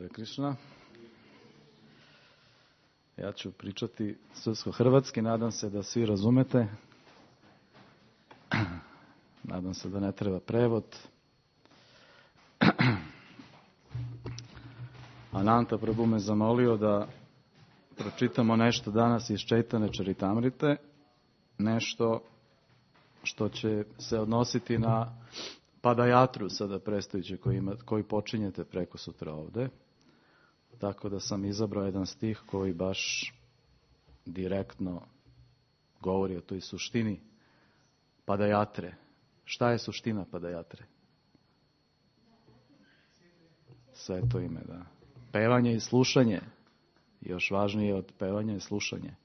Hare Krishna. Ja ću pričati srpsko-hrvatski, nadam se da svi razumete. Nadam se da ne treba prevod. Ananta Prabhu me zamolio da pročitamo nešto danas iz Čaitanje Čaritamrite, nešto što će se odnositi na Padajatru sada predstojiće koji počinjete preko sutra ovde. Tako da sam izabrao jedan stih koji baš direktno govori o toj suštini Padajatre. Šta je suština Padajatre? Sveto ime, da. Pevanje i slušanje. Još važnije od pevanja i slušanje.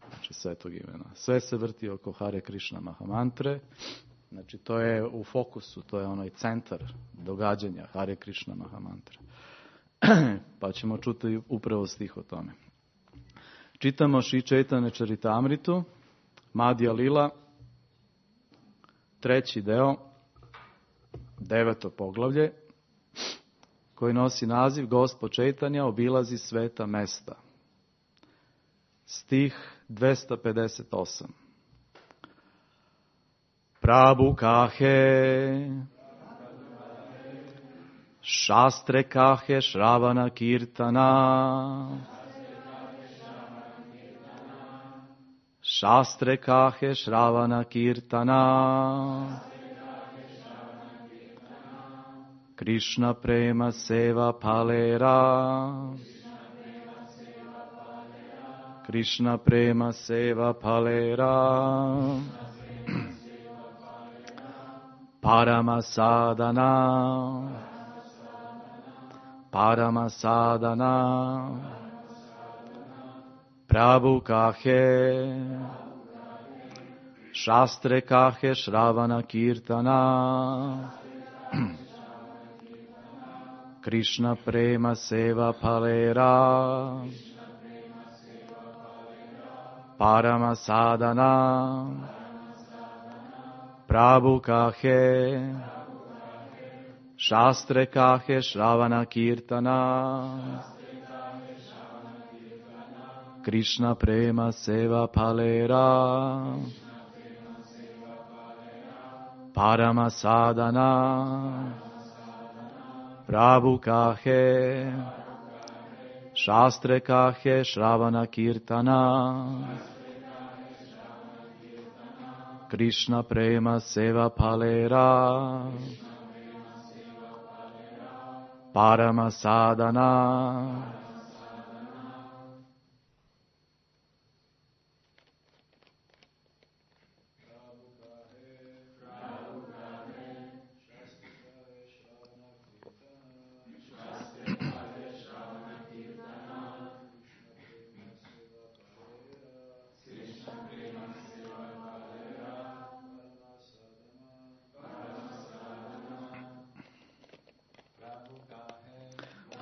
Znači svetog imena. Sve se vrti oko Hare Krishna Mahamantre. Znači to je u fokusu, to je onaj centar događanja Hare Krishna Mahamantre. Pa ćemo čuti upravo stih o tome. Čitamo Šri Čaitanje Čaritamritu, Madhya Lila, 3. deo, 9. poglavlje, koji nosi naziv Gospod Čaitanja obilazi sveta mesta. Stih 258. Prabhu kahe, šastre kahe Shravana Kirtana, šastre kahe Shravana Kirtana, Krishna prema seva palera, Krishna prema seva palera, Parama sadhana, Parama sadhana, Prabhu kahe, šastre kahe Shravana Kirtana, Krishna prema seva palera, Parama sadhana, Prabhu kahe, šastre kahe Shravana Kirtana, Krishna prema seva palera, Parama sadhana, Prabhu kahe, šastre kahe Shravana Kirtana, Krishna prema seva palera, Parama sadhana.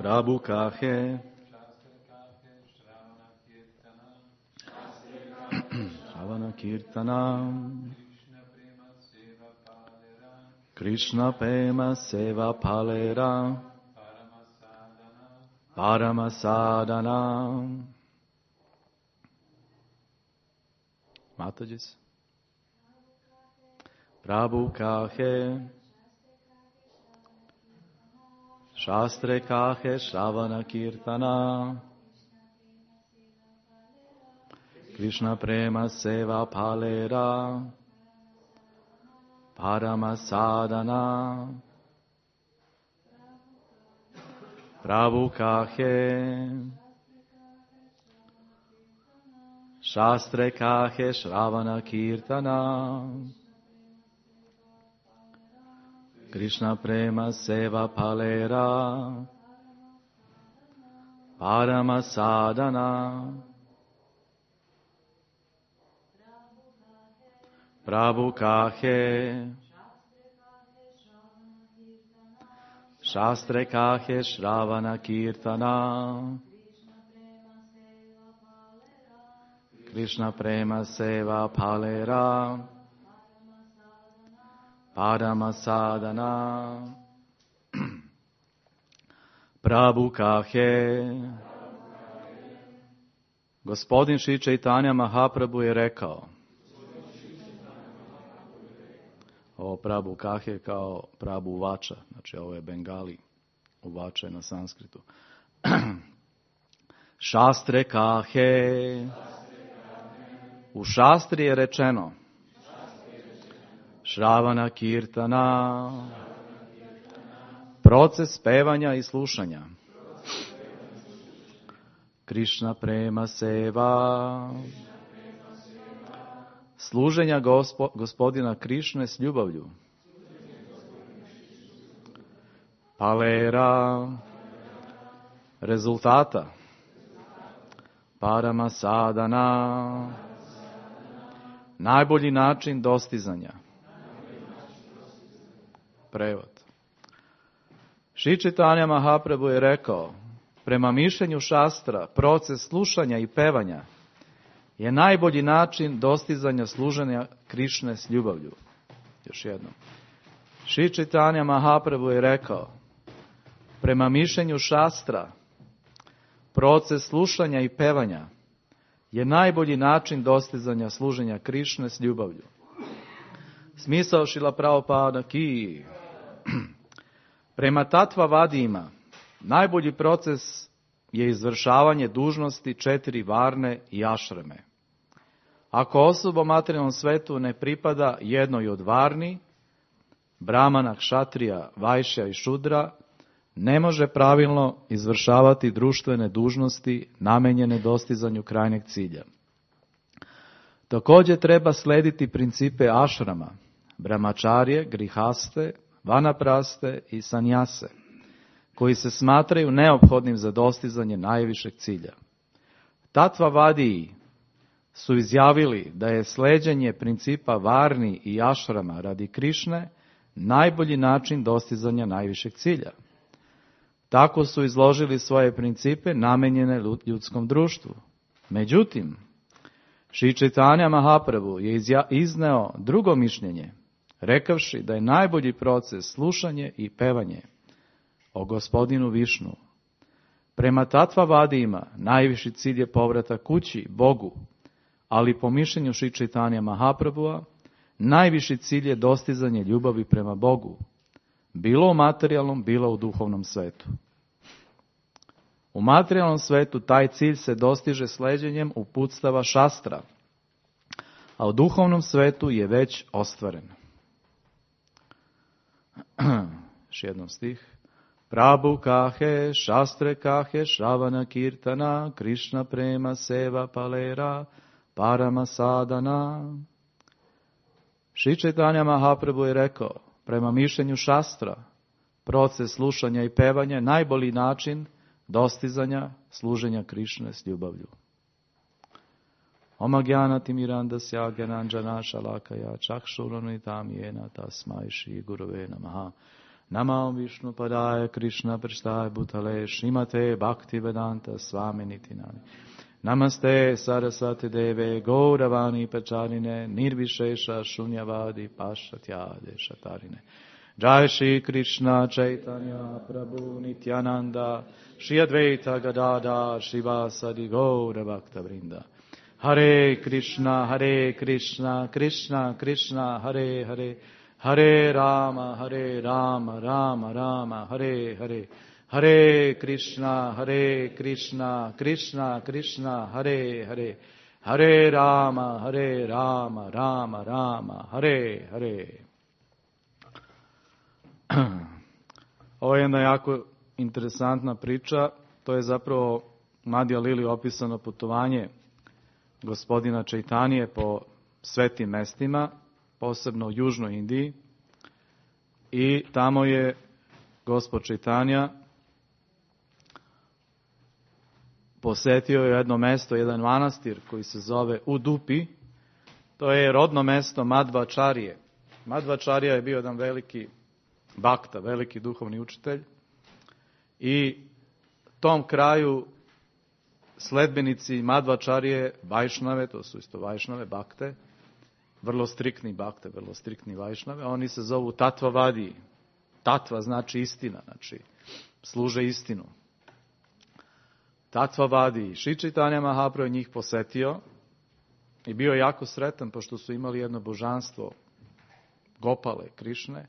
Prabhu kahe, Shravana Kirtana, Krishna prema seva palera, Parama sadhana. Matajis. Prabhu kahe, šastre kahe Shravana Kirtana, Krishna prema seva palera, Parama sadhana. Prabhu kahe, šastre kahe Shravana Kirtana, Krishna prema seva palera, Parama sadhana. Prabhu kahe, šastre kahe Shravana Kirtana, Krishna prema seva palera, Parama sadhana. Prabhu kahe. Gospodin Šri Čaitanja Mahaprabhu je rekao. Ovo Prabhu kahe kao Prabhu Vača, znači ovo je Bengali, Uvača je na sanskritu. Šastre kahe. U šastri je rečeno. Šravana kirtana. Proces pevanja i slušanja. Krišna prema seva. Služenja gospodina Krišne s ljubavlju. Palera. Rezultata. Parama sadana. Najbolji način dostizanja. Prevod. Šri Čaitanja Mahaprabhu je rekao, prema mišljenju šastra, proces slušanja i pevanja je najbolji način dostizanja služenja Krišne s ljubavlju. Još jednom. Šri Čaitanja Mahaprabhu je rekao, prema mišljenju šastra, proces slušanja i pevanja je najbolji način dostizanja služenja Krišne s ljubavlju. Smisao Šrila Prabhupada ki. Prema tattva vadijima, najbolji proces je izvršavanje dužnosti 4 varne i ašrame. Ako osoba u materijalnom svetu ne pripada jednoj od varni, brahmana, kšatrija, vajšja i šudra, ne može pravilno izvršavati društvene dužnosti namenjene dostizanju krajnjeg cilja. Također treba slediti principe ašrama, brahmačarje, grihaste, vanapraste i sanjase, koji se smatraju neophodnim za dostizanje najvišeg cilja. Tattva vadiji su izjavili da je sleđenje principa varni i ašrama radi Krišne najbolji način dostizanja najvišeg cilja. Tako su izložili svoje principe namenjene ljudskom društvu. Međutim, Šri Čaitanja Mahaprabhu je izneo drugo mišljenje, rekavši da je najbolji proces slušanje i pevanje o gospodinu Višnu. Prema tattva vadijima najviši cilj je povratak kući, Bogu, ali po mišljenju Šri Čaitanja Mahaprabhua najviši cilj je dostizanje ljubavi prema Bogu, bilo u materijalnom, bilo u duhovnom svetu. U materijalnom svetu taj cilj se dostiže sleđenjem uputstava šastra, a u duhovnom svetu je već ostvaren. Još jednom stih. Prabhu kahe, šastre kahe, šravana kirtana, Krišna prema seva palera, parama sadana. Šri Čaitanja Mahaprabhu je rekao, prema mišljenju šastra, proces slušanja i pevanja je najbolji način dostizanja služenja Krišne s ljubavlju. Oma gyana timirandasya gyananjana shalakaya chakshuranitam yena tasmai shri gurave namaha. Namam Vishnu padaya Krishna prasthaya bhutale Srimate Bhaktivedanta Swami Nitinani. Namaste Saraswati Deve Gauravani Pacharine Nirvishesha Shunyavadi Pashatyade Shatarine. Jai Shri Krishna Chaitanya Prabhu Nityananda Shri Advaita Gadadhar Shivasadi Gaura Bhakta Vrinda. Hare Krishna, Krishna Krishna, Hare Hare, Hare Rama, Rama Rama, Hare Hare. Hare Krishna, Krishna Krishna, Hare Hare. Hare Rama, Rama Rama, Hare Hare. Ovo je jedna jako interesantna priča. To je zapravo Madhya Lili opisano putovanje gospodina Čaitanije po svetim mestima, posebno u južnoj Indiji. I tamo je gospod Čaitanja posetio jedno mesto, jedan manastir koji se zove Udupi. To je rodno mesto Madhvačarije. Madhvačarija je bio jedan veliki bakta, veliki duhovni učitelj. I tom kraju sledbenici Madhvačarije, Vajšnave, to su isto Vajšnave, bakte, vrlo striktni bakte, vrlo striktni Vajšnave, oni se zovu Tattva vadiji. Tatva znači istina, znači služe istinu. Tatva vadi. Šri Čaitanja Mahaprabhu njih posetio i bio jako sretan pošto su imali jedno božanstvo Gopale, Krišne.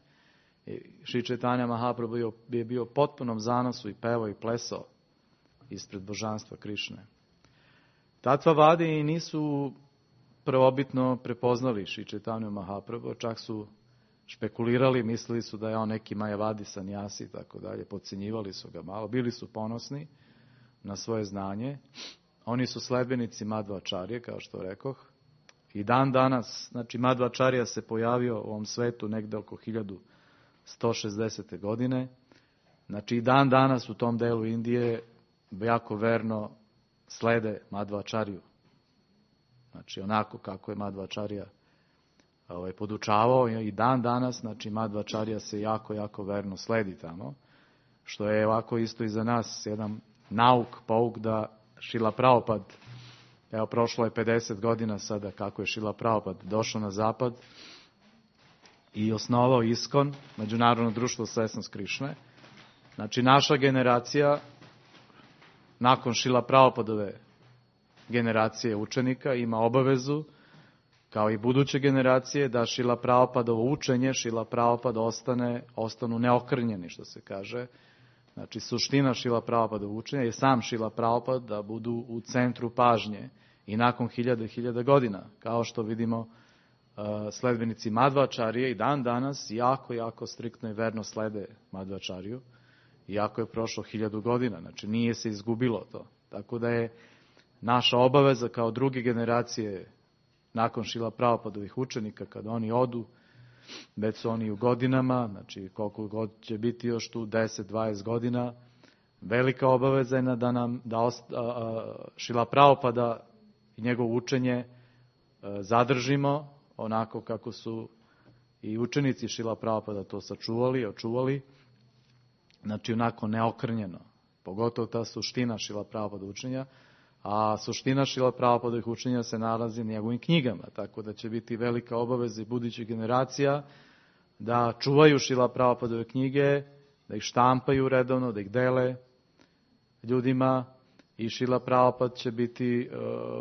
I Šri Čaitanja Mahaprabhu je bio u potpunom zanosu i pevao i plesao ispred božanstva Krišne. Tatva vadi i nisu prvobitno prepoznali Šri Čaitanju Mahaprabhu, čak su špekulirali, mislili su da je on neki Majavadi sanjasi i tako dalje, podcenjivali su ga malo, bili su ponosni na svoje znanje. Oni su sledbenici Madhvačarje, kao što rekoh. I dan danas, znači Madhvačarja se pojavio u ovom svetu negde oko 1160. godine. Znači i dan danas u tom delu Indije jako verno slede Madhvačarju. Znači onako kako je Madhvačarja podučavao i dan danas, znači Madhvačarja se jako, jako verno sledi tamo. Što je ovako isto i za nas jedan pouk da Šrila Prabhupada, evo prošlo je 50 godina sada kako je Šrila Prabhupada došao na zapad i osnovao ISKCON, Međunarodno društvo svesnost Krišne. Znači naša generacija, nakon Šrila Prabhupadove generacije učenika, ima obavezu, kao i buduće generacije, da Šrila Prabhupadovo učenje, Šrila Prabhupada ostanu neokrnjeni, što se kaže. Znači, suština Šrila Prabhupadova učenja je sam Šrila Prabhupada da budu u centru pažnje i nakon hiljada godina. Kao što vidimo, sledbenici Madhvačarije i dan danas jako, jako striktno i verno slede Madhvačariju, iako je prošlo 1000 godina. Znači, nije se izgubilo to. Tako da je naša obaveza kao druge generacije nakon Šrila Prabhupadovih učenika, kada oni odu, već su oni u godinama, znači koliko god će biti još tu 10-20 godina, velika obaveza je da Šrila Prabhupada i njegovo učenje zadržimo onako kako su i učenici Šrila Prabhupada to sačuvali, očuvali, znači onako neokrnjeno, pogotovo ta suština Šrila Prabhupada učenja, a suština Šrila Prabhupadovih učenja se nalazi u njegovim knjigama, tako da će biti velika obaveza i budućih generacija da čuvaju Šrila Prabhupadove knjige, da ih štampaju redovno, da ih dele ljudima i Šrila Prabhupada će biti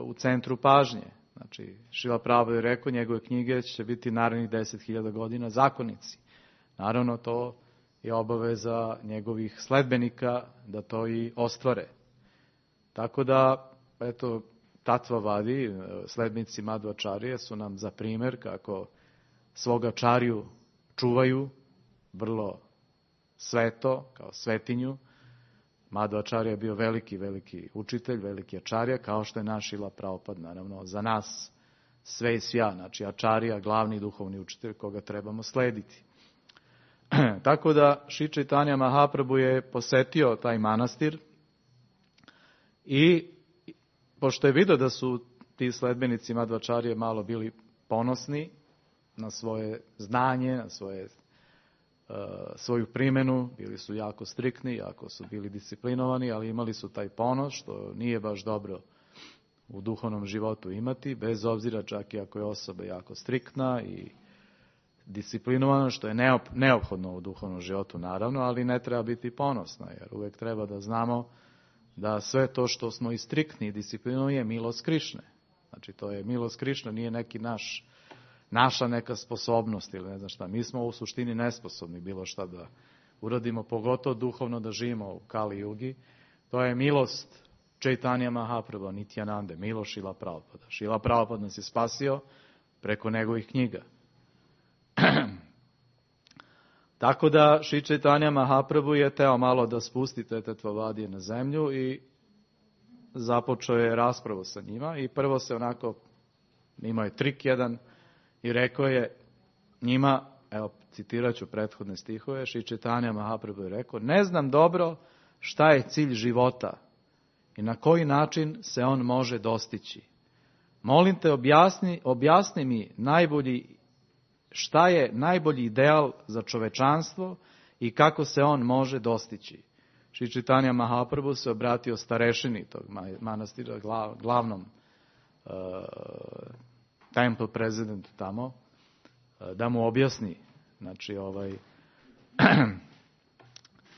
u centru pažnje. Znači, Šrila Prabhupada je rekao, njegove knjige će biti narednih 10.000 godina zakonici. Naravno, to je obaveza njegovih sledbenika da to i ostvare. Tako da, eto, Tatva vadi, sledbenici Madhvačarije su nam za primjer kako svoga čarju čuvaju vrlo sveto, kao svetinju. Madhvačarija je bio veliki, veliki učitelj, veliki ačarija, kao što je naš Šrila Prabhupada, naravno, za nas sve i svja, znači ačarija, glavni duhovni učitelj koga trebamo slediti. Tako da Šri Čaitanja Mahaprabhu je posetio taj manastir i pošto je vidio da su ti sledbenici Madhvačarije malo bili ponosni na svoje znanje, na svoju primjenu, bili su jako striktni, jako su bili disciplinovani, ali imali su taj ponos, što nije baš dobro u duhovnom životu imati, bez obzira čak i ako je osoba jako striktna i disciplinovana, što je neophodno u duhovnom životu, naravno, ali ne treba biti ponosna, jer uvijek treba da znamo da sve to što smo i striktni i disciplinovani je milost Krišne. Znači, to je milost Krišne, nije neki naša neka sposobnost ili ne znam šta. Mi smo u suštini nesposobni bilo šta da uradimo, pogotovo duhovno da živimo u Kali Jugi. To je milost Čaitanja Mahaprabhu, Nityanande, milost Šrila Prabhupada. Šrila Prabhupada nas je spasio preko njegovih knjiga. Tako da Šri Čaitanja Mahaprabhu je teo malo da spusti te Tatvavadije na zemlju i započeo je raspravu sa njima i prvo se onako, imao je trik jedan i rekao je njima, evo citirat ću prethodne stihove, Šri Čaitanja Mahaprabhu je rekao, ne znam dobro šta je cilj života i na koji način se on može dostići. Molim te objasni mi šta je najbolji ideal za čovečanstvo i kako se on može dostići. Šri Čaitanja Mahaprabhu se obratio starešini tog manastira, glavnom temple presidentu tamo, da mu objasni, znači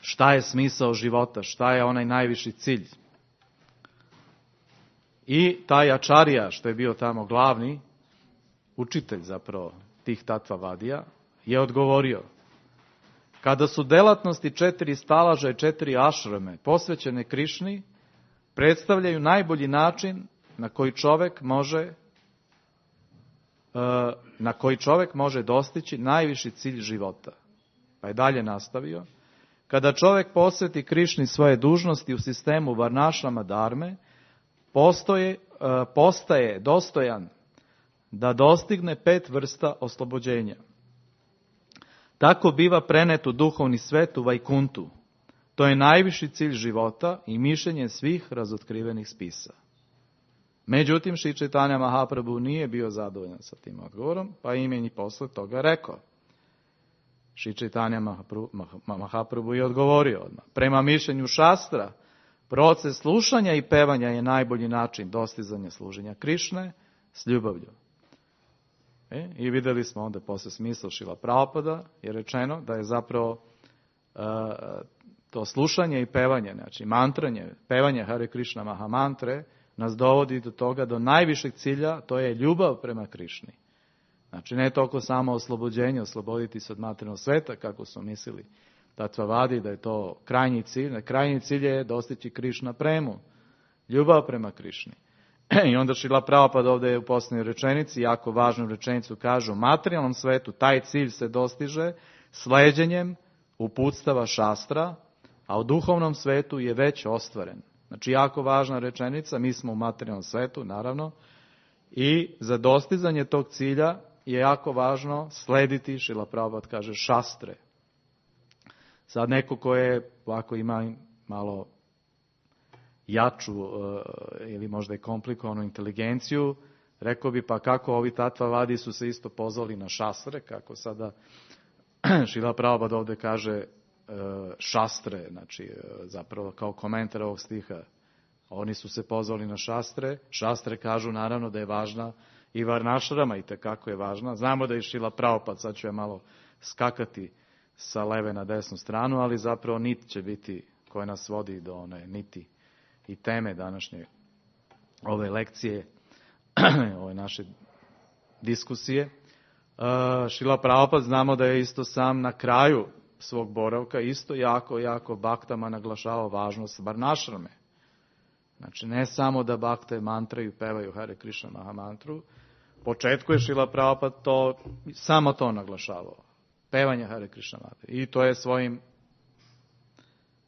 šta je smisao života, šta je onaj najviši cilj. I taj Ačarija, što je bio tamo glavni, učitelj zapravo tih Tattvavadija, je odgovorio: kada su delatnosti 4 stalaža i 4 ašrame posvećene Krišni, predstavljaju najbolji način na koji čovek može dostići najviši cilj života. Pa je dalje nastavio: kada čovek posveti Krišni svoje dužnosti u sistemu varnašrama dharme, postaje dostojan da dostigne 5 vrsta oslobođenja. Tako biva prenet u duhovni svet u Vajkuntu. To je najviši cilj života i mišljenje svih razotkrivenih spisa. Međutim, Šri Čaitanja Mahaprabhu nije bio zadovoljan sa tim odgovorom, pa im je i posle toga rekao. Šri Čaitanja Mahaprabhu je odgovorio odmah: prema mišljenju šastra, proces slušanja i pevanja je najbolji način dostizanja služenja Krišne s ljubavlju. I videli smo onda posle smisla Šrila Prabhupada, je rečeno da je zapravo to slušanje i pevanje, znači mantranje, pevanje Hare Krishna Mahamantre, nas dovodi do toga, do najvišeg cilja, to je ljubav prema Krišni. Znači ne toliko samo oslobođenje, osloboditi se od materijalnog sveta, kako su mislili Tattvavadi, da je to krajnji cilj. Krajnji cilj je dostići Krišna premu, ljubav prema Krišni. I onda Šrila Prabhupada ovdje u posljednjoj rečenici, jako važnu rečenicu, kaže: u materijalnom svetu taj cilj se dostiže sleđenjem uputstava šastra, a u duhovnom svetu je već ostvaren. Znači jako važna rečenica, mi smo u materijalnom svetu, naravno, i za dostizanje tog cilja je jako važno slediti, Šrila Prabhupada kaže, šastre. Sad neko ko je ovako ima malo jaču ili možda i komplikovanu inteligenciju, rekao bi: pa kako ovi Tattvavadi su se isto pozvali na šastre, kako sada Šrila Prabhupada ovdje kaže šastre, znači zapravo kao komentar ovog stiha. Oni su se pozvali na šastre. Šastre kažu naravno da je važna i varnašrama, i tekako je važna. Znamo da je Šrila Prabhupada, sad ću ja malo skakati sa leve na desnu stranu, ali zapravo nit će biti koja nas vodi do one niti i teme današnje ove lekcije, ove naše diskusije. Šrila Prabhupada znamo da je isto sam na kraju svog boravka isto jako baktama naglašavao važnost varnašrame. Znači ne samo da bakte mantraju, pevaju Hare Krishna Mahamantru, u početku je Šrila Prabhupada samo to naglašavao, pevanje Hare Krishna Mahamantru. I to je svojim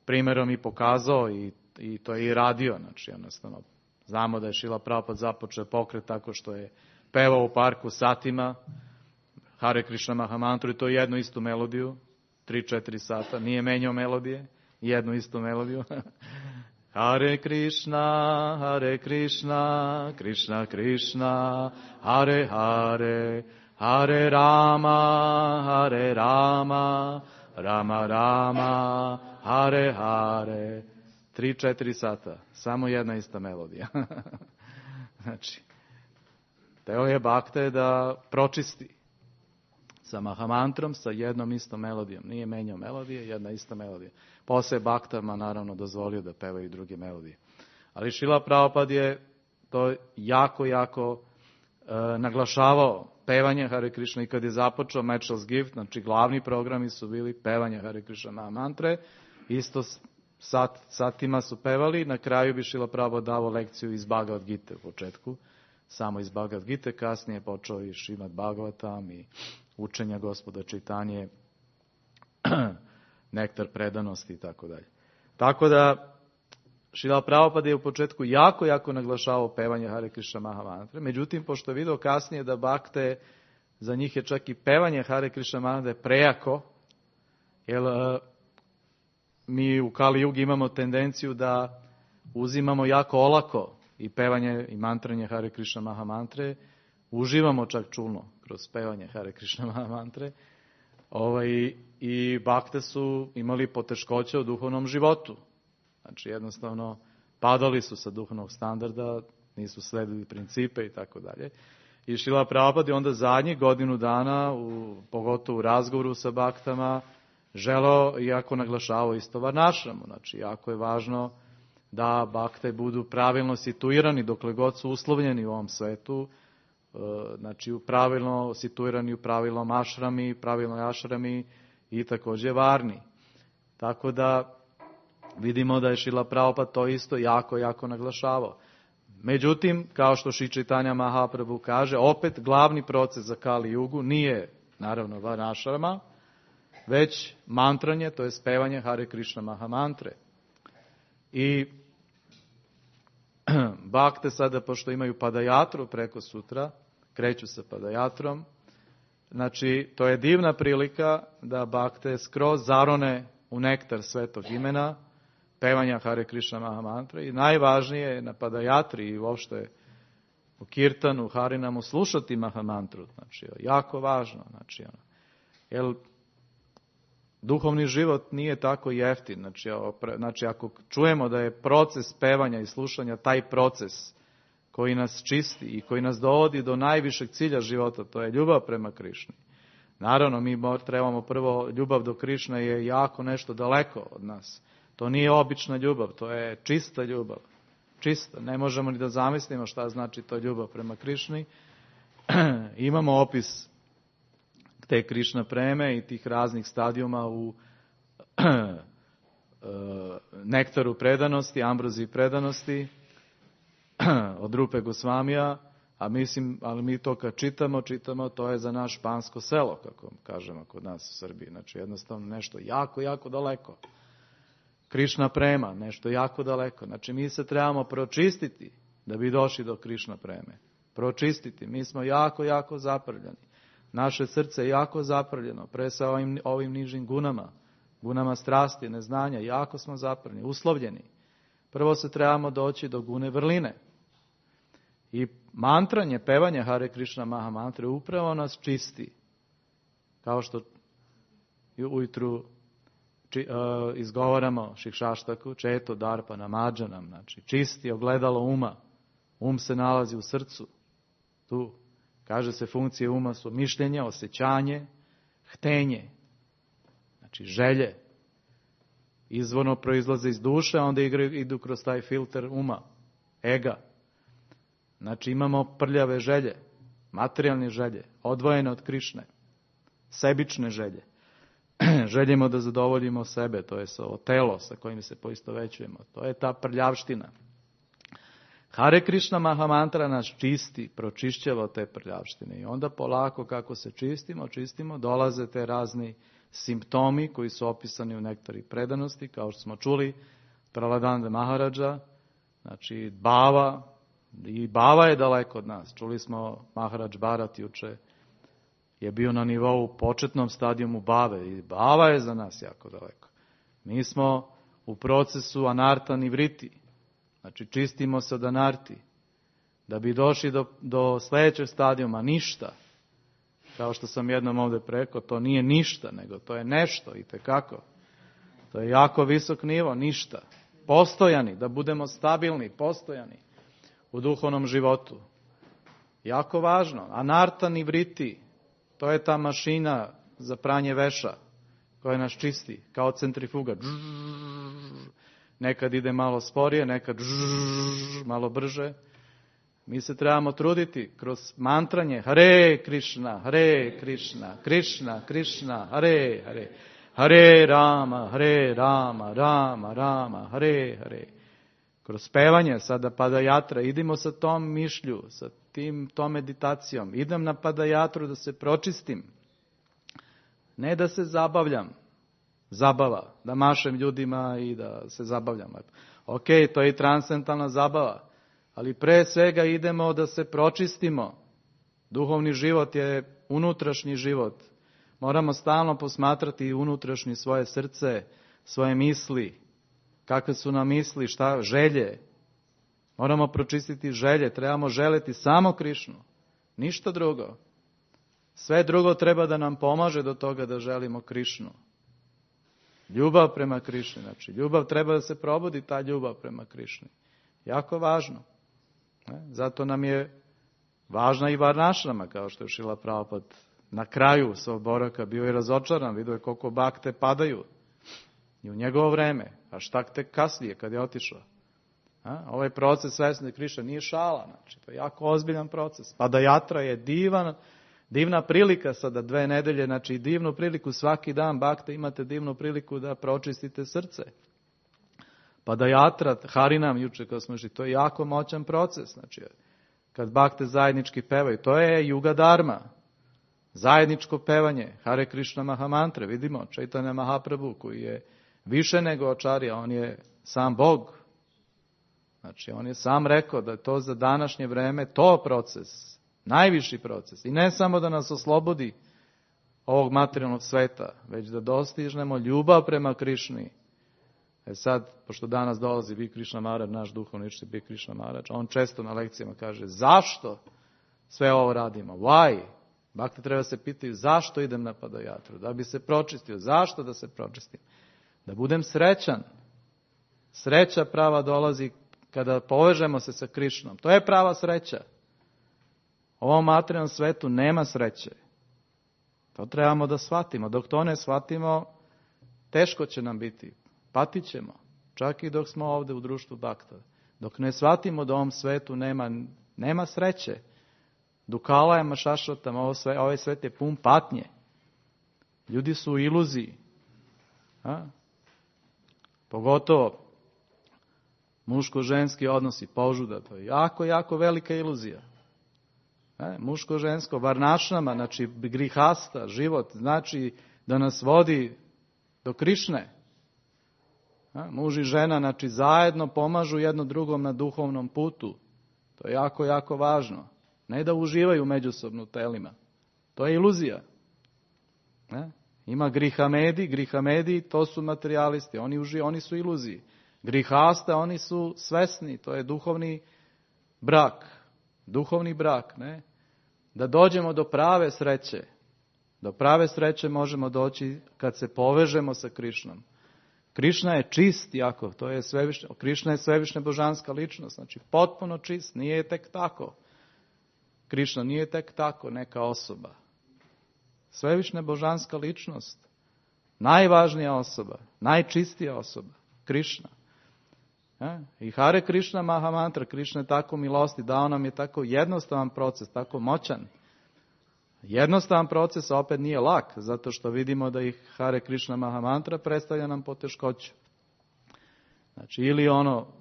primjerom i pokazao i to je i radio. Znači jednostavno znamo da je Šrila Prabhupada započeo pokret tako što je pevao u parku satima Hare Krishna Mahamantru, i to jednu istu melodiju, 3-4 sata, nije menjao melodije, jednu istu melodiju. Hare Krishna, Krishna Krishna, Hare Hare, Hare Rama, Rama Rama, Hare Hare. 3-4 sata, samo jedna ista melodija. Znači, teo je bakte da pročisti sa Mahamantrom, sa jednom istom melodijom. Nije menjao melodije, jedna ista melodija. Posle baktama naravno dozvolio da pevaju druge melodije. Ali Šrila Prabhupada je to jako naglašavao pevanje Hare Krishna, i kad je započeo Matchless Gift, znači glavni programi su bili pevanje Hare Krishna Mahamantre, isto satima su pevali, na kraju bi Šrila Prabhupada dao lekciju iz Bhagavad Gite u početku, samo iz Bhagavad Gite, kasnije je počeo i Šrimad Bhagavatam i učenja Gospoda Čaitanje, nektar predanosti i tako dalje. Tako da Šrila Prabhupada je u početku jako naglašavao pevanje Hare Krishna Mahamantre, međutim, pošto je vidio kasnije da bakte, za njih je čak i pevanje Hare Krishna Mahamantre prejako, jer mi u Kali Jugi imamo tendenciju da uzimamo jako olako i pevanje i mantranje Hare Krishna Mahamantre, uživamo čak čulno kroz pevanje Hare Krishna Mahamantre, i bakte su imali poteškoće u duhovnom životu. Znači jednostavno padali su sa duhovnog standarda, nisu sledili principe i tako dalje. I Šrila Prabhupada je onda zadnjih godinu dana, pogotovo u razgovoru sa baktama, želeo, iako naglašavao isto varnašramu. Znači, jako je važno da bakte budu pravilno situirani dokle god su uslovljeni u ovom svetu, znači pravilno situirani u pravilnom ašrami i također varni. Tako da vidimo da je Šrila Prabhupada to isto jako naglašavao. Međutim, kao što Šri Čaitanja Mahaprabhu kaže, opet glavni proces za Kali Jugu nije naravno varnašrama, već mantranje, to je spevanje Hare Krishna Mahamantre. I bakte sada, pošto imaju padajatru preko sutra, kreću sa padajatrom, znači to je divna prilika da bakte skroz zarone u nektar svetog imena, pevanja Hare Krishna Mahamantre, i najvažnije je na padajatri i uopšte u kirtanu, harinamu slušati Mahamantru. Znači, jako važno. Jer duhovni život nije tako jeftin. Znači, ako čujemo da je proces pevanja i slušanja taj proces koji nas čisti i koji nas dovodi do najvišeg cilja života, to je ljubav prema Krišni. Naravno, mi trebamo prvo, ljubav do Krišne je jako nešto daleko od nas. To nije obična ljubav, to je čista ljubav. Čista, ne možemo ni da zamislimo šta znači to ljubav prema Krišni. Imamo opis te Krišna preme i tih raznih stadijuma u nektaru predanosti, ambroziji predanosti od Rupe Gosvamija, ali mi to kad čitamo, to je za naš špansko selo, kako kažemo kod nas u Srbiji. Znači jednostavno nešto jako daleko. Krišna prema, nešto jako daleko. Znači mi se trebamo pročistiti da bi došli do Krišna preme. Pročistiti. Mi smo jako zaprljeni. Naše srce je jako zaprljeno, pre sa ovim nižim gunama strasti, neznanja, jako smo zaprljeni, uslovljeni. Prvo se trebamo doći do gune vrline. I mantranje, pevanje Hare Krishna Mahamantre upravo nas čisti. Kao što ujutru izgovaramo Šikšaštaku, Četo Darpana Madžanam, znači čisti ogledalo uma. Um se nalazi u srcu. Tu, kaže se, funkcije uma su mišljenje, osjećanje, htenje, znači želje. Izvorno proizlaze iz duše, a onda idu kroz taj filter uma, ega. Znači imamo prljave želje, materijalne želje, odvojene od Krišne, sebične želje. Željemo da zadovoljimo sebe, to je telo sa kojim se poistovećujemo. To je ta prljavština. Hare Krishna Mahamantra nas čisti, pročišćava te prljavštine. I onda polako kako se čistimo, dolaze te razni simptomi koji su opisani u nektari predanosti, kao što smo čuli, Praladanda Maharaja, znači bava, i bava je daleko od nas. Čuli smo Maharaj Bharat juče, je bio na nivou početnom stadijumu bave i bava je za nas jako daleko. Mi smo u procesu anarta nivriti, znači čistimo se od anarti, da bi došli do sljedećeg stadijuma ništa. Kao što sam jednom ovdje rekao, to nije ništa, nego to je nešto itekako. To je jako visok nivo, ništa. Postojani, da budemo stabilni, postojani u duhovnom životu. Jako važno. Anarta nivriti, to je ta mašina za pranje veša koja nas čisti, kao centrifuga. Nekad ide malo sporije, nekad malo brže. Mi se trebamo truditi kroz mantranje Hare Krishna, Hare Krishna, Krishna Krishna, Hare Hare, Hare Rama, Hare Rama, Rama Rama, Hare Hare. Kroz pevanje sada padajatra, idimo sa tom mišlju, sa tom meditacijom. Idem na padajatru da se pročistim. Ne da se zabavljam. Zabava. Da mašem ljudima i da se zabavljam. Ok, to je i transcendentalna zabava. Ali pre svega idemo da se pročistimo. Duhovni život je unutrašnji život. Moramo stalno posmatrati unutrašnje svoje srce, svoje misli. Kakve su nam misli, šta, želje. Moramo pročistiti želje, trebamo želeti samo Krišnu, ništa drugo. Sve drugo treba da nam pomaže do toga da želimo Krišnu. Ljubav prema Krišni, znači ljubav treba da se probudi, ta ljubav prema Krišni. Jako važno. Zato nam je važna i varnašrama, kao što je Šrila Prabhupada na kraju svog boravka bio je razočaran, vidio je koliko bakte padaju i u njegovo vreme, a šta tek kasnije kad je otišao. Ovaj proces svesne Krišne nije šala, znači to je jako ozbiljan proces. Padajatra je divna prilika sada 2 nedelje, znači divnu priliku svaki dan bakte imate divnu priliku da pročistite srce. Padajatra, Harinam juče kad smo išli, to je jako moćan proces, znači kad bakte zajednički pevaju, to je Juga Dharma. Zajedničko pevanje, Hare Krishna Mahamantre, vidimo, Chaitanya Mahaprabhu koji je više nego Acharya, on je sam Bog. Znači, on je sam rekao da je to za današnje vreme to proces, najviši proces. I ne samo da nas oslobodi ovog materijalnog sveta, već da dostižnemo ljubav prema Krišni. Sad, pošto danas dolazi Bi Krišna Maharaj, naš duhovni učitelj Bi Krišna Maharaj, on često na lekcijama kaže, zašto sve ovo radimo? Why? Bakte treba se pitaju, zašto idem na Padajatru? Da bi se pročistio. Zašto da se pročistim? Da budem srećan. Sreća prava dolazi kada povežemo se sa Krišnom. To je prava sreća. U ovom materijalnom svetu nema sreće. To trebamo da shvatimo. Dok to ne shvatimo, teško će nam biti. Patit ćemo. Čak i dok smo ovdje u društvu bakta. Dok ne shvatimo da u ovom svetu nema sreće. Dukala je mašašotam, ovaj svet je pun patnje. Ljudi su u iluziji. Pogotovo muško-ženski odnosi, požuda, to je jako, jako velika iluzija. Muško-žensko, varnašnama, znači grihasta, život, znači da nas vodi do Krišne. Muž i žena, znači zajedno pomažu jedno drugom na duhovnom putu. To je jako, jako važno. Ne da uživaju međusobno u telima. To je iluzija. Ima grihamedi, to su materijalisti, oni su iluziji. Grihasta, oni su svesni, to je duhovni brak. Duhovni brak, ne? Da dođemo do prave sreće. Do prave sreće možemo doći kad se povežemo sa Krišnom. Krišna je čist jako, to je svevišnja, Krišna je svevišnja božanska ličnost, znači potpuno čist, nije tek tako. Krišna nije tek tako neka osoba. Svevišnja božanska ličnost, najvažnija osoba, najčistija osoba, Krišna. I Hare Krishna Mahamantra, Krišna je tako milosti, dao nam je tako jednostavan proces, tako moćan. Jednostavan proces opet nije lak, zato što vidimo da ih Hare Krishna Mahamantra predstavlja nam poteškoću. Znači, ili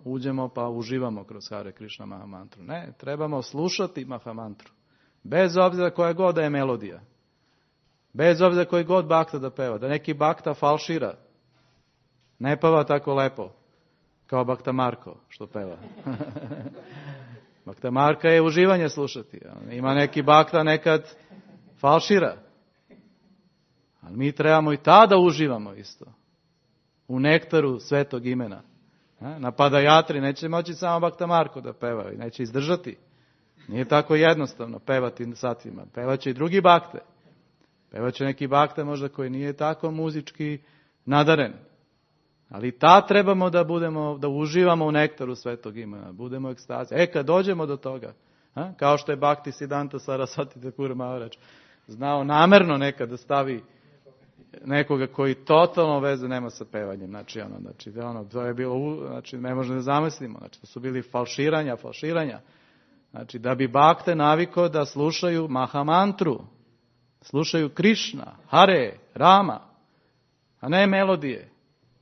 uđemo pa uživamo kroz Hare Krishna Mahamantru. Ne, trebamo slušati Mahamantru. Bez obzira koja god da je melodija. Bez obzira koji god bakta da peva. Da neki bakta falšira. Ne peva tako lepo. Kao Bakta Marko što peva. Bakta Marka je uživanje slušati. Ima neki bakta nekad falšira. Ali mi trebamo i tada uživamo isto. U nektaru svetog imena. Na Padajatri neće moći samo Bakta Marko da peva i neće izdržati. Nije tako jednostavno pevati satima. Pevaće i drugi bakte. Pevaće neki bakte možda koji nije tako muzički nadaren. Ali trebamo da uživamo u nektaru svetog imena. Budemo u ekstazi. Kad dođemo do toga, kao što je Bhakti Siddhanta Sarasvati Thakur Maharaj znao namerno nekad da stavi nekoga koji totalno veze nema sa pevanjem. Znači, to je bilo, znači, ne možemo da zamislimo. Znači, to su bili falširanja. Znači, da bi bakte navikao da slušaju Mahamantru, slušaju Krišna, Hare, Rama, a ne melodije.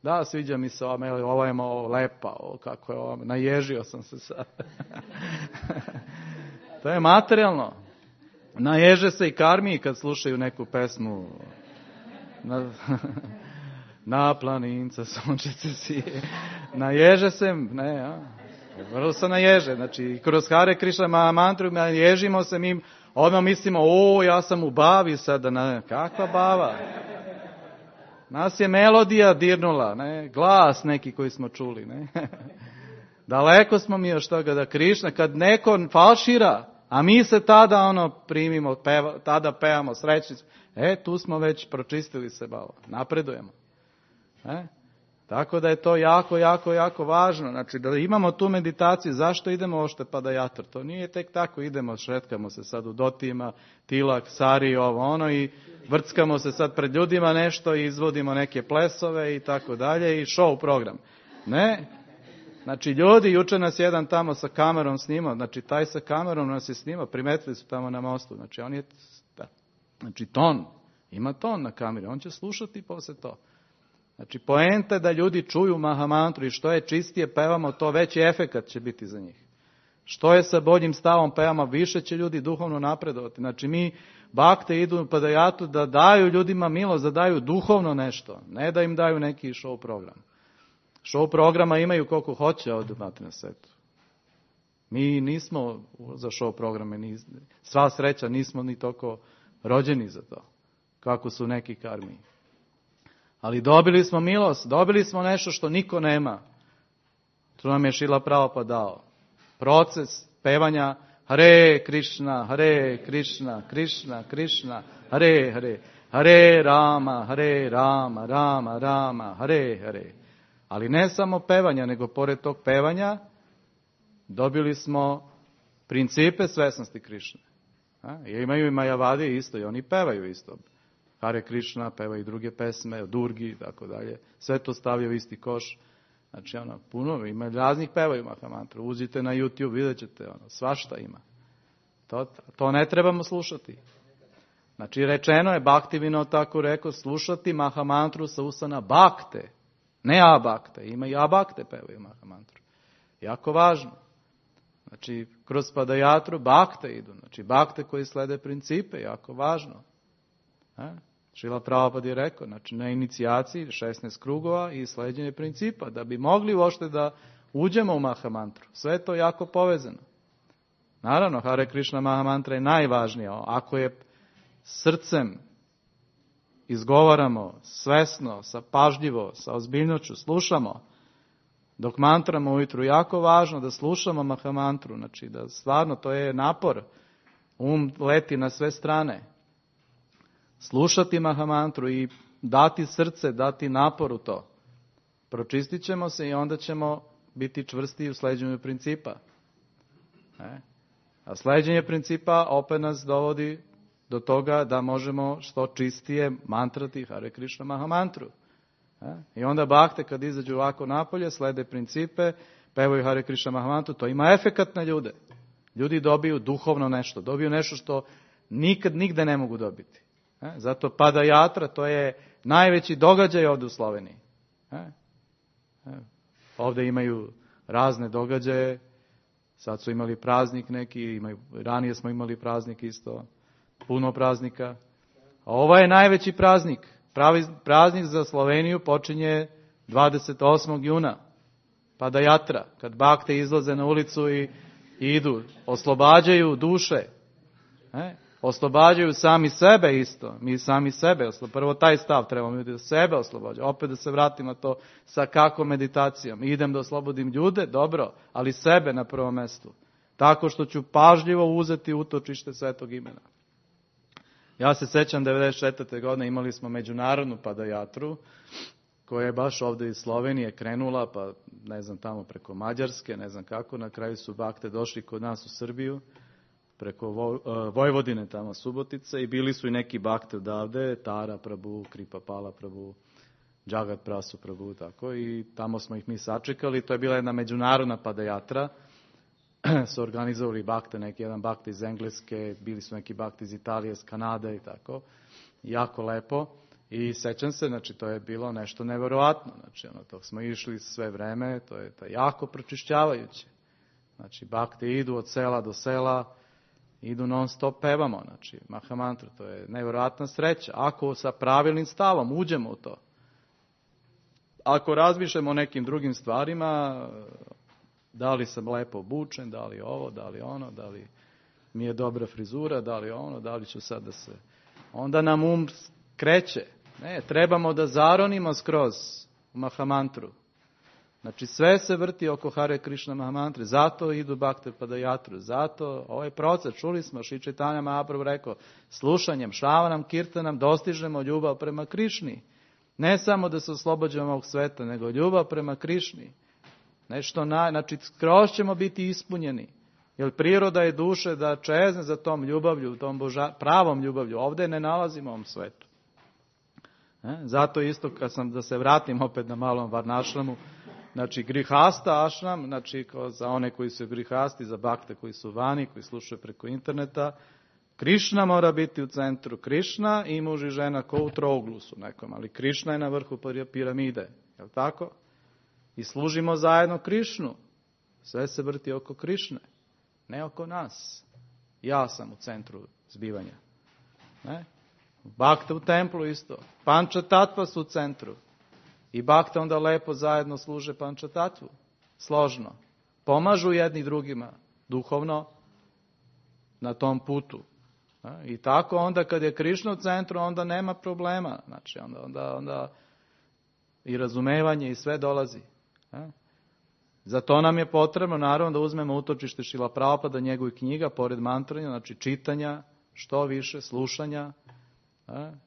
Da, sviđa mi se ova melodija, ovo je malo lepa, kako je ovo, naježio sam se sad. To je materijalno. Naježe se i karmiji kad slušaju neku pesmu. Na planinca sunčice sije. Naježe se, vrlo se naježe. Znači, kroz Hare Krishna Mahamantru naježimo se, mi odmah mislimo, ja sam u bavi sada. Kakva bava? Nas je melodija dirnula, glas neki koji smo čuli. Daleko smo mi još toga da Krišna, kad neko falšira, a mi se tada primimo, tada pevamo srećni. Tu smo već pročistili se malo, napredujemo. Tako da je to jako, jako, jako važno. Znači da imamo tu meditaciju, zašto idemo ošte Padayatra? To nije tek tako, idemo, šetkamo se sad u Dotima, Tilak, Sari, ovo ono i vrckamo se sad pred ljudima nešto i izvodimo neke plesove i tako dalje i show program. Ne. Znači ljudi, juče nas jedan tamo sa kamerom snimao, znači taj sa kamerom nas je snimao, primetili su tamo na mostu, znači on je, znači ton, ima ton na kameri, on će slušati posle to. Znači poenta je da ljudi čuju Mahamantru i što je čistije pevamo, to veći efekat će biti za njih. Što je sa boljim stavom pevamo, više će ljudi duhovno napredovati. Znači mi bakte idu u Padayatru da daju ljudima milost, da daju duhovno nešto, ne da im daju neki show program. Show programa imaju koliko hoće ovdje na svetu. Mi nismo za show programe, sva sreća, nismo ni toliko rođeni za to, kako su neki karmi. Ali dobili smo milost, dobili smo nešto što niko nema. To nam je Šrila Prabhupada dao. Proces pevanja Hare Krishna, Hare Krishna, Krishna Krishna, Hare Hare, Hare Rama, Hare Rama, Rama Rama, Hare Hare. Ali ne samo pevanja, nego pored tog pevanja dobili smo principe svesnosti Krišne. Imaju i Majavadi isto i oni pevaju isto. Hare Krishna, peva i druge pesme, Durgi i tako dalje. Sve to stavljaju u isti koš. Znači, puno, ima raznih pevaju Mahamantru. Uzite na YouTube, vidjet ćete, svašta ima. To ne trebamo slušati. Znači, rečeno je, Bhaktivinoda tako rekao, slušati Mahamantru sa usana Bhakte. Ne Abhakte, ima i Abhakte pevaju Mahamantru. Jako važno. Znači, kroz Padayatru Bhakte idu. Znači, Bhakte koji slede principe, jako važno. Šrila Prabhupada je rekao, znači na inicijaciji 16 krugova i sleđenje principa, da bi mogli uopšte da uđemo u Mahamantru. Sve je to jako povezano. Naravno, Hare Krishna Mahamantra je najvažnija. Ako je srcem izgovaramo svesno, pažljivo, sa ozbiljnoću, slušamo, dok mantramo ujutru, jako važno da slušamo Mahamantru, znači da stvarno to je napor, leti na sve strane. Slušati Mahamantru i dati srce, dati napor u to. Pročistit ćemo se i onda ćemo biti čvrsti u sleđenju principa. A sleđenje principa opet nas dovodi do toga da možemo što čistije mantrati Hare Krishna Mahamantru. I onda bakte kad izađu ovako napolje, slede principe, pevaju Hare Krishna Mahamantru, to ima efekat na ljude. Ljudi dobiju duhovno nešto, dobiju nešto što nikad nigde ne mogu dobiti. Zato Padayatra, to je najveći događaj ovdje u Sloveniji. Ovdje imaju razne događaje, sad su imali praznik neki, ranije smo imali praznik isto, puno praznika. A ovo je najveći praznik. Praznik za Sloveniju počinje 28. juna. Padayatra, kad bakte izlaze na ulicu i idu, oslobađaju duše. Oslobađaju sami sebe isto. Mi sami sebe. Prvo taj stav trebamo da sebe oslobađaju. Opet da se vratim na to sa kako meditacijom. Idem da oslobodim ljude, dobro, ali sebe na prvom mestu. Tako što ću pažljivo uzeti utočište Svetog imena. Ja se sećam 94. godine imali smo međunarodnu Padayatru koja je baš ovdje iz Slovenije krenula, pa ne znam tamo preko Mađarske, ne znam kako, na kraju su bakte došli kod nas u Srbiju, preko Vojvodine tamo Subotice i bili su i neki bakte odavde, Tara Prabhu, Kripa Pala Prabhu, Jagat Prasu Prabhu, tako, i tamo smo ih mi sačekali. To je bila jedna međunarodna Padayatra, su organizovali bakte, neki jedan bakte iz Engleske, bili su neki bakte iz Italije, iz Kanade i tako, jako lepo. I sećam se, znači to je bilo nešto neverovatno, znači to smo išli sve vreme, to je jako pročišćavajuće. Znači bakte idu od sela do sela, idu non stop pevamo, znači Mahamantru, to je nevjerojatna sreća. Ako sa pravilnim stavom uđemo u to. Ako razmišljamo o nekim drugim stvarima, da li sam lepo obučen, da li ovo, da li ono, da li mi je dobra frizura, da li ono, da li ću sad da se... Onda nam kreće. Ne, trebamo da zaronimo skroz u Mahamantru. Znači sve se vrti oko Hare Krishna Mahamantre, zato idu bakte Padayatru, zato ovaj proces, čuli smo, Šri Chaitanya Mahaprabhu rekao, slušanjem, šravanam, kirtanam, dostižemo ljubav prema Krišni. Ne samo da se oslobađamo ovog sveta, nego ljubav prema Krišni. Znači, skroz ćemo biti ispunjeni. Jer priroda je duše da čezne za tom ljubavlju, tom pravom ljubavlju. Ovdje ne nalazimo u ovom svetu. Zato isto, da se vratim opet na malom varnašramu, znači grihasta ašram, znači za one koji su grihasti, za bakte koji su vani, koji slušaju preko interneta, Krišna mora biti u centru. Krišna i muž i žena ko u trouglusu nekom, ali Krišna je na vrhu piramide. Je li tako? I služimo zajedno Krišnu. Sve se vrti oko Krišne, ne oko nas. Ja sam u centru zbivanja. Ne? Bakte u templu isto. Panča tatva su u centru. I bakte onda lepo zajedno služe panča tatvu. Složno. Pomažu jedni drugima duhovno na tom putu. I tako onda kad je Krišna u centru, onda nema problema. Znači onda i razumevanje i sve dolazi. Zato nam je potrebno naravno da uzmemo utočište Šrila Prabhupada, njegovih knjiga, pored mantranja, znači čitanja, što više, slušanja.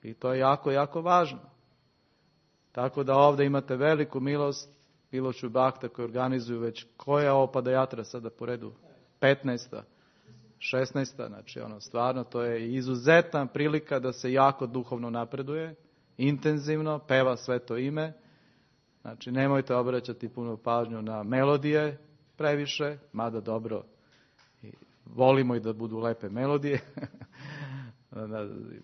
I to je jako, jako važno. Tako da ovdje imate veliku milost, Piloču Bakta koji organizuju već, koja je ovo Padajatra sada po redu? 15. 16. Znači stvarno to je izuzetna prilika da se jako duhovno napreduje, intenzivno, peva sveto ime. Znači nemojte obraćati puno pažnju na melodije previše, mada dobro, volimo i da budu lepe melodije.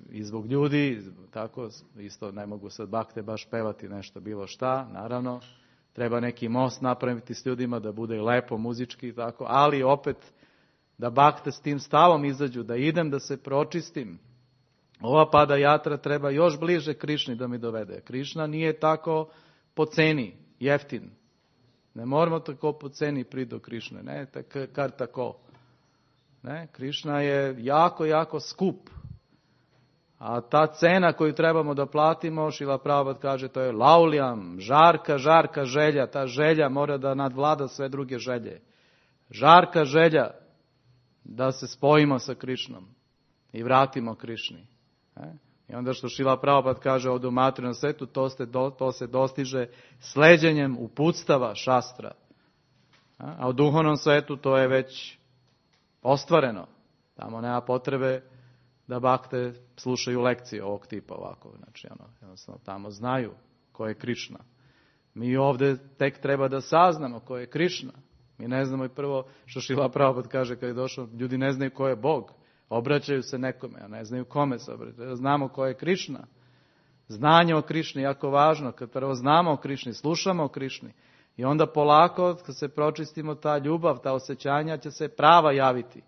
I zbog ljudi, tako, isto ne mogu sad bakte baš pevati nešto bilo šta, naravno, treba neki most napraviti s ljudima da bude lepo muzički, tako, ali opet da bakte s tim stavom izađu, da idem da se pročistim. Ova Padajatra treba još bliže Krišni da mi dovede. Krišna nije tako po ceni, jeftin. Ne moramo tako po ceni priti do Krišne, ne, kar tako. Ne, Krišna je jako, jako skup. A ta cena koju trebamo da platimo, Šrila Prabhupada kaže, to je lauljam, žarka želja. Ta želja mora da nadvlada sve druge želje. Žarka želja da se spojimo sa Krišnom i vratimo Krišni. I onda što Šrila Prabhupada kaže ovdje u materijalnom svetu, to se dostiže sleđenjem uputstava šastra. A u duhovnom svetu to je već ostvareno. Tamo nema potrebe da bakte slušaju lekcije ovog tipa ovako. Znači, jednostavno tamo znaju ko je Krišna. Mi ovdje tek treba da saznamo ko je Krišna. Mi ne znamo i prvo što Šrila Prabhupada kaže kad je došao, ljudi ne znaju ko je Bog. Obraćaju se nekome, a ne znaju kome se obraćaju. Znamo ko je Krišna. Znanje o Krišni je jako važno. Kad prvo znamo o Krišni, slušamo o Krišni. I onda polako, kad se pročistimo, ta ljubav, ta osjećanja će se prava javiti.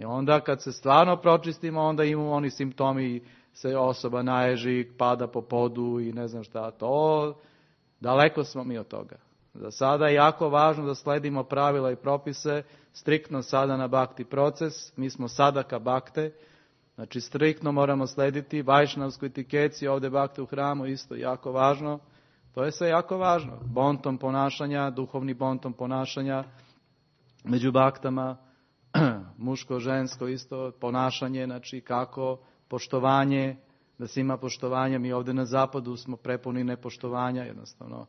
I onda kad se stvarno pročistimo, onda imamo oni simptomi, se osoba naježi, pada po podu i ne znam šta. To, daleko smo mi od toga. Za sada je jako važno da sledimo pravila i propise, striktno sada na bakti proces, mi smo sadaka bakte, znači striktno moramo slediti vajšnavsku etikeci, ovdje bakte u hramu isto jako važno, to je sve jako važno. Bontom ponašanja, duhovni bontom ponašanja među baktama, muško, žensko isto ponašanje, znači kako, poštovanje, da se ima poštovanje, mi ovdje na zapadu smo prepuni nepoštovanja, jednostavno.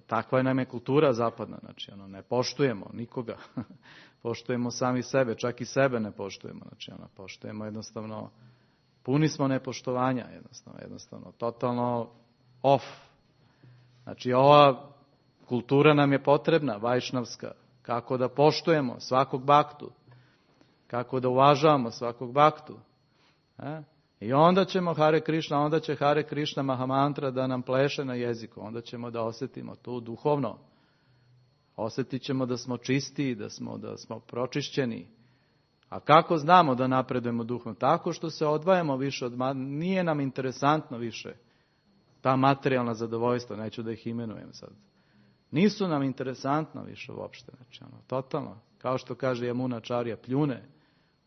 Takva nam je kultura zapadna, znači ne poštujemo nikoga, poštujemo sami sebe, čak i sebe ne poštujemo, znači poštujemo jednostavno, puni smo nepoštovanja, jednostavno, totalno off. Znači ova kultura nam je potrebna, vajšnavska, kako da poštujemo svakog baktu, kako da uvažavamo svakog baktu. I onda ćemo Hare Krišna, onda će Hare Krišna Mahamantra da nam pleše na jeziku. Onda ćemo da osjetimo to duhovno. Osjetit ćemo da smo čisti, da smo pročišćeni. A kako znamo da napredujemo duhovno? Tako što se odvajamo više nije nam interesantno više ta materijalna zadovoljstva, neću da ih imenujem sad. Nisu nam interesantno više uopšte. Znači, totalno. Kao što kaže Yamunacharya, pljune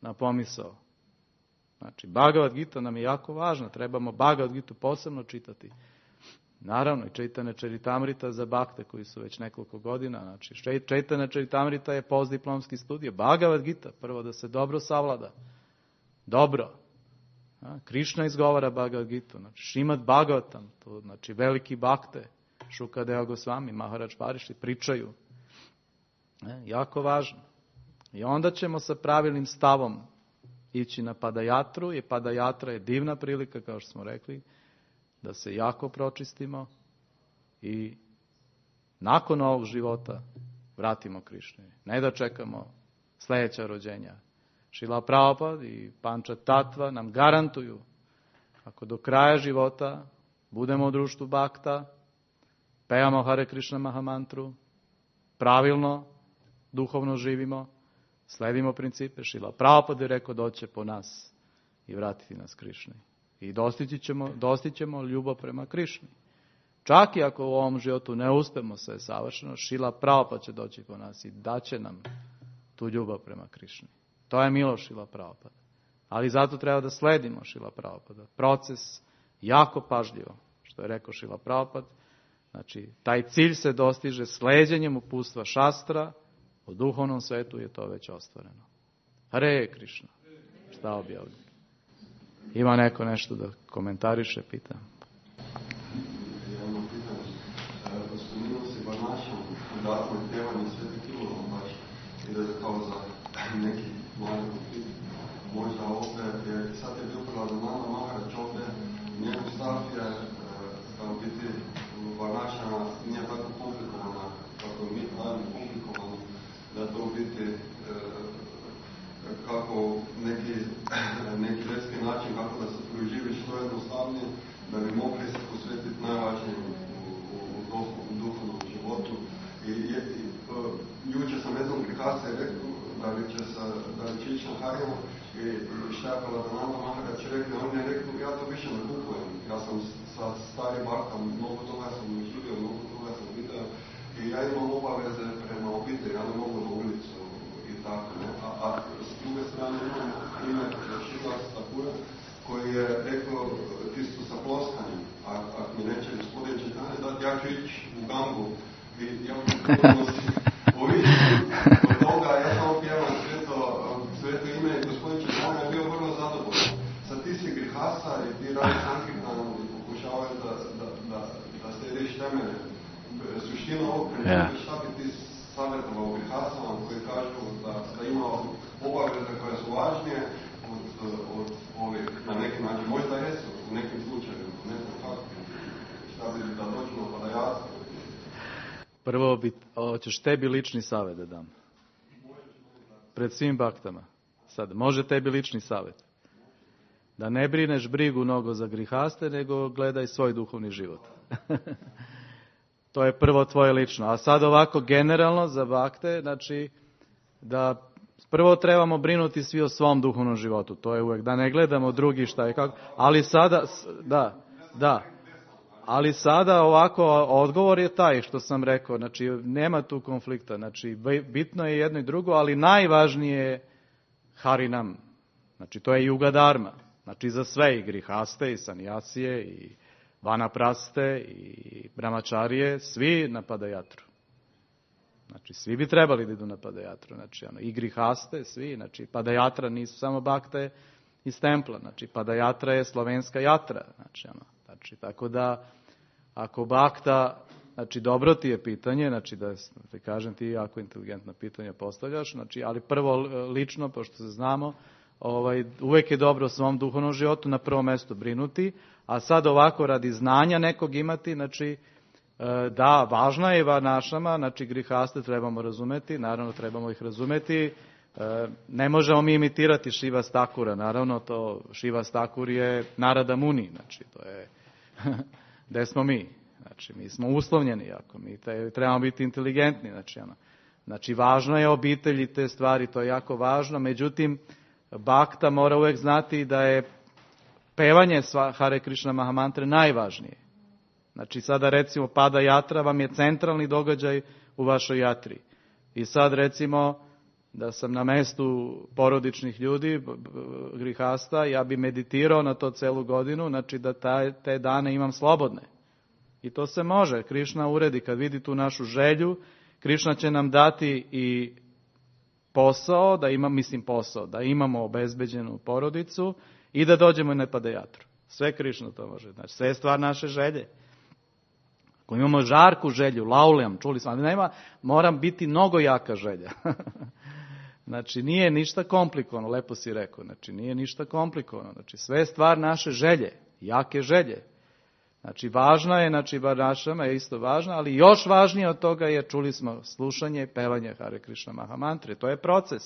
na pomisao. Znači, Bhagavad Gita nam je jako važna, trebamo Bhagavad Gitu posebno čitati. Naravno, i Chaitanya Charitamrita za bakte koji su već nekoliko godina. Znači, Chaitanya Charitamrita je postdiplomski studij. Bhagavad Gita, prvo da se dobro savlada. Dobro. Krišna izgovara Bhagavad Gitu, znači Šrimad Bhagavatam, to znači veliki bakte, Šukadeva Gosvami, Maharaj Pariši pričaju. Jako važno. I onda ćemo sa pravilnim stavom ići na Padajatru, i Padajatra je divna prilika, kao što smo rekli, da se jako pročistimo i nakon ovog života vratimo Krišni. Ne da čekamo sljedeća rođenja. Šrila Prabhupada i Panča Tatva nam garantuju, ako do kraja života budemo u društvu Bhakta, pevamo Hare Krishna Mahamantru, pravilno, duhovno živimo, sledimo principe. Šrila Prabhupada je rekao doće po nas i vratiti nas Krišni. I dostićemo ljubav prema Krišni. Čak i ako u ovom životu ne uspemo sve savršeno, Šrila Prabhupada će doći po nas i daće nam tu ljubav prema Krišni. To je milost Šrila Prabhupada. Ali zato treba da sledimo Šrila Prabhupada. Proces jako pažljivo, što je rekao Šrila Prabhupada. Znači, taj cilj se dostiže sleđenjem uputstva šastra, u duhovnom svetu je to već ostvareno. Hare Krishna. Šta objavljeno? Ima neko nešto da komentariše, pita? Jedno pitanje. Spomenuo si Varnašam, dodatno je pjevanje Sveti Kilova baš, i da je kao za neki mali konflikt. Možda opet, jer sad je bil Pradananda Maharaj opet, njegov stav je, da u biti Varnašama nije tako komplikovana, kako mi pravimo komplikovano, da to u biti kako neki redski način, kako da se proživiš što jednostavnije, da bi mogli se posvetiti najvažnije u duhovnom životu. I jučer sam jednom grihasta je rekao, da će ići na Harjama i šta je Pradananda Maharaj rekao, on je rekao, ja to više ne kupujem. Ja sam sa starim baktom, mnogo toga sam živio, mnogo toga sam vidio i ja imam obaveze prema obitelji, ja ne mogu na ulicu i tako. Ne? A s druge strane imam primjer Šrila Thakura koji je rekao tisto sa ploskanjem, ako mi neće gospodin Čitanje dati, ja ću ići u Gangu i ja ću ovisiti od toga, ja samo pjevam sveto ime i gospodin Čitanje je bio vrlo zadovoljan. Sad ti si grihasa i ti radi sankirtanom i pokušavaš da slediš temelje. Suština ovog principa, šta bi ti savjetovao grihasama koji kažu da ima obaveze koje su važnije od ovih, na neki način, možda jesu u nekim slučajima, ne znam kako, šta bi da dođu na Padajatru. Prvo, hoćeš tebi lični savjet da dam. Pred svim baktama. Sad, može tebi lični savjet. Da ne brineš brigu mnogo za grihaste, nego gledaj svoj duhovni život. To je prvo tvoje lično. A sad ovako generalno za bakte, znači da prvo trebamo brinuti svi o svom duhovnom životu. To je uvijek, da ne gledamo drugi šta je kako. Ali sada, da. Ali sada ovako, odgovor je taj što sam rekao. Znači, nema tu konflikta. Znači, bitno je jedno i drugo, ali najvažnije je Harinam. Znači, to je Yuga Dharma. Znači, za sve, i grihaste, i sanjasije, i vanapraste, i brahmačarije, svi na Padajatru. Znači, svi bi trebali da idu na Padajatru. Znači, i grihaste, svi. Znači, Padajatra nisu samo bakte iz templa. Znači, Padajatra je slovenska jatra. Znači, tako da, ako bakta, znači, dobro ti je pitanje, znači, da te kažem, ti jako inteligentno pitanje postavljaš, znači, ali prvo lično, pošto se znamo, uvijek je dobro u svom duhovnom životu na prvo mjesto brinuti, a sad ovako radi znanja nekog imati, znači, da, važna je varnašama, znači grihaste trebamo razumeti, naravno trebamo ih razumeti, ne možemo mi imitirati Šrivas Thakura, naravno to Šrivas Thakur je Narada Muni, znači to je, gde smo mi, znači mi smo uslovljeni jako, mi trebamo biti inteligentni, znači važno je obitelji te stvari, to je jako važno, međutim bakta mora uvijek znati da je pevanje Hare Krishna Mahamantre najvažnije. Znači sada recimo Padajatra vam je centralni događaj u vašoj jatri. I sad recimo da sam na mestu porodičnih ljudi, grihasta, ja bi meditirao na to celu godinu, znači da te dane imam slobodne. I to se može. Krišna uredi, kad vidi tu našu želju, Krišna će nam dati i posao, da imamo obezbeđenu porodicu i da dođemo na Padayatru. Sve Krišna to može. Znači, sve je stvar naše želje. Ako imamo žarku želju, lauljam, čuli smo, ali nema, moram biti mnogo jaka želja. Znači, nije ništa komplikovano, lepo si rekao, znači, nije ništa komplikovano. Znači, sve je stvar naše želje, jake želje. Znači, važna je, znači, Varnašama je isto važna, ali još važnije od toga je, čuli smo, slušanje i pevanje Hare Krishna Mahamantre. To je proces.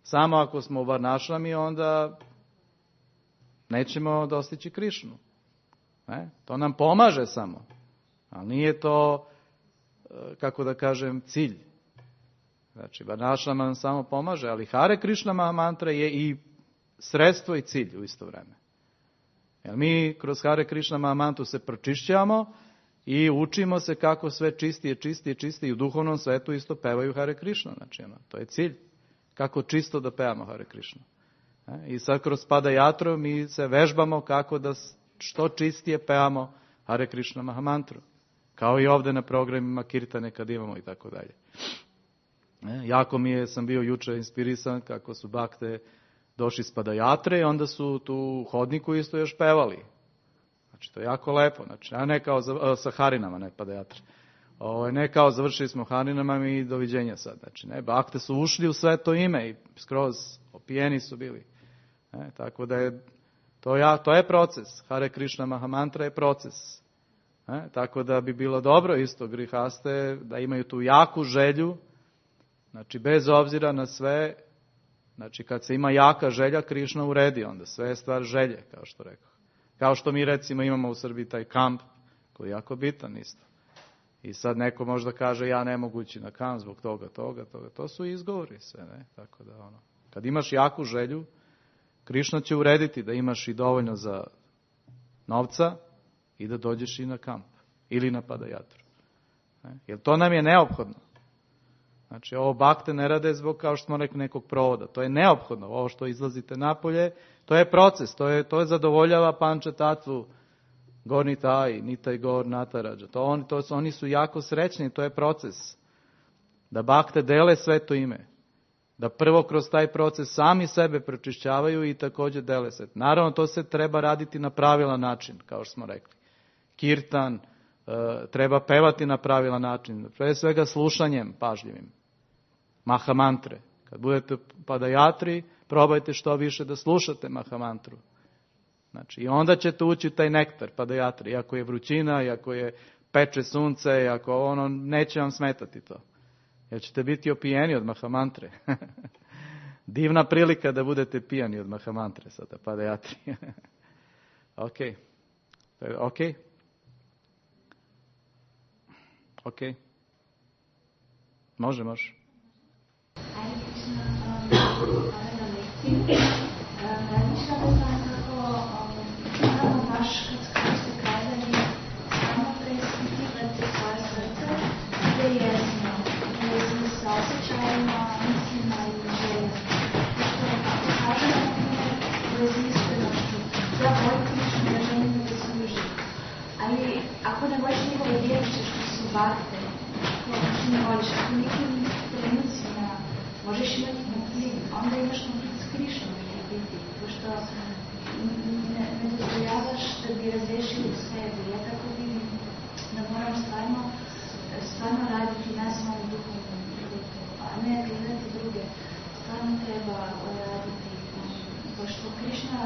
Samo ako smo u Varnašami, onda nećemo dostići Krišnu. To nam pomaže samo. Ali nije to, kako da kažem, cilj. Znači, Varnašama nam samo pomaže, ali Hare Krishna Mahamantra je i sredstvo i cilj u isto vreme. Jer mi kroz Hare Krishna Mahamantru se pročišćavamo i učimo se kako sve čistije i u duhovnom svetu isto pevaju Hare Krishna. Znači, to je cilj. Kako čisto da pevamo Hare Krishna. I sad kroz Padayatru mi se vežbamo kako da što čistije pevamo Hare Krishna Mahamantru. Kao i ovdje na programima Kirtane kad imamo i tako dalje. Jako sam bio juče inspirisan kako su bakte došli s Padayatre i onda su tu u hodniku isto još pevali. Znači, to je jako lepo. Znači, a ne kao sa Harinama, ne Padayatre. Ne kao završili smo Harinama i doviđenja sad. Znači, ne, bakte su ušli u sve to ime i skroz opijeni su bili. Tako da je to je proces. Hare Krishna Mahamantra je proces. Tako da bi bilo dobro isto grihaste da imaju tu jaku želju, znači bez obzira na sve, znači kad se ima jaka želja, Krišna uredi onda, sve je stvar želje, kao što rekao. Kao što mi recimo imamo u Srbiji taj kamp, koji je jako bitan isto. I sad neko možda kaže ja ne mogu ići na kamp zbog toga. To su izgovori sve, ne? Tako da kad imaš jaku želju, Krišna će urediti da imaš i dovoljno za novca i da dođeš i na kamp ili na Padayatru. Jer to nam je neophodno. Znači, ovo bakte ne rade zbog, kao što smo rekli, nekog provoda. To je neophodno. Ovo što izlazite napolje, to je proces. To je zadovoljava panča tatvu, gorni taj, nitaj gor, natarađa. Oni su jako srećni, to je proces. Da bakte dele sve to ime. Da prvo kroz taj proces sami sebe pročišćavaju i također dele se. Naravno, to se treba raditi na pravilan način, kao što smo rekli. Kirtan, treba pevati na pravilan način. Pre svega slušanjem pažljivim. Mahamantre. Kad budete u Padayatri, probajte što više da slušate Mahamantru. Znači, i onda ćete ući taj nektar Padayatri. Iako je vrućina, iako je peče sunce, iako neće vam smetati to. Jer ćete biti opijeni od Mahamantre. Divna prilika da budete pijani od Mahamantre sada, Padayatri. Ok. Može. Hare Krishna, na lekciji. Razmišljala sam kako baš kad ste kazali samo preispitivati svoje srce, gdje je jesmo sa osjećajima, mislima i željama. Što ako kažem, na primjer, u vezi iskrenošću, ja volim Krishnu, ja želim da služi. Ali ako ne voliš njegove riječi što su bakte, ako ne voliš, ako nekim trenucima možeš imati konflikt, onda imaš konflikt s Krišnom ili biti, pošto ne dozvoljavaš da bi razrešili u sebi. Ja tako vidim da moram stvarno raditi na svom duhovnom putu, a ne gledati druge. Stvarno treba raditi, pošto Krišna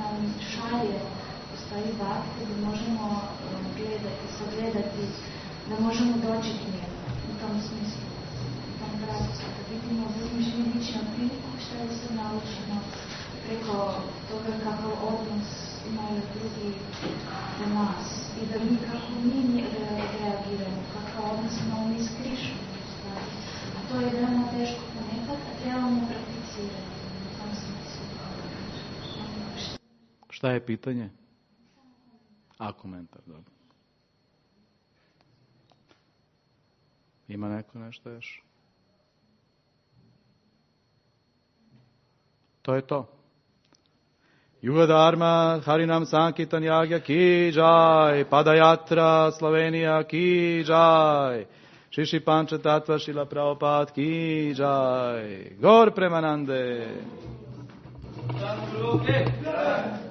nam šalje u stvari bakte da možemo sagledati, da možemo doći k njemu u tom smislu. Da vidimo drugim ličnom priliku što je se naučimo preko toga kakav odnos imaju drugi do nas i da mi kako mi reagiramo, kakav odnos imamo mi s Krišnom. A to je veoma teško ponekad, a trebamo prakticirati u tom smislu. Šta je pitanje? Komentar, dobro. Ima neko nešto još? To je to. Yuga Dharma, Harinam Sankirtan Yagya ki jai, Padayatra, Slovenija ki jai, Šiši Panča Tatva Šila Prabhupada ki jai, Gor Premanande. Santo Luke!